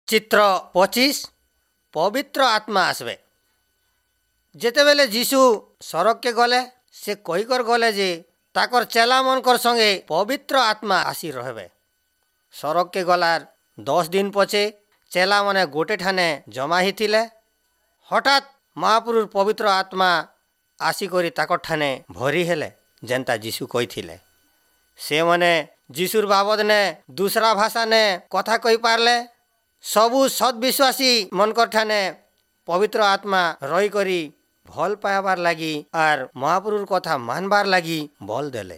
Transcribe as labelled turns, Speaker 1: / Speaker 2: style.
Speaker 1: ଚିତ୍ର 25, ପବିତ୍ର ଆତ୍ମା ଆସବେ। ଯେତେବେଲେ ଯୀଶୁ ସରଗକେ ଗଲେ, ସେ କହିକର ଗଲେ ଯେ ତାକର ଚେଲାମାନଙ୍କର ସଙ୍ଗେ ପବିତ୍ର ଆତ୍ମା ଆସି ରହବେ। ସରଗକେ ଗଲାର 10 ଦିନ ପଛେ ଚେଲାମାନେ ଗୋଟେ ଠାନେ ଜମା ହେଇଥିଲେ। ହଠାତ୍ ମହାପୁରୁର ପବିତ୍ର ଆତ୍ମା ଆସିକରି ତାକର ଠାନେ ଭରି ହେଲେ, ଯେନ୍ତା ଯୀଶୁ କହିଥିଲେ। ସେମାନେ ଯୀଶୁର ବାବଦନେ ଦୁସରା ଭାଷାନେ କଥା କହିପାରିଲେ। ସବୁ ସତ୍ ବିଶ୍ୱାସୀ ମନକର ଠାନେ ପବିତ୍ର ଆତ୍ମା ରହିକରି ଭଲ ପାଇବାର ଲାଗି ଆର୍ ମହାପୁରୁର କଥା ମାନବାର ଲାଗି ବଲ ଦେଲେ।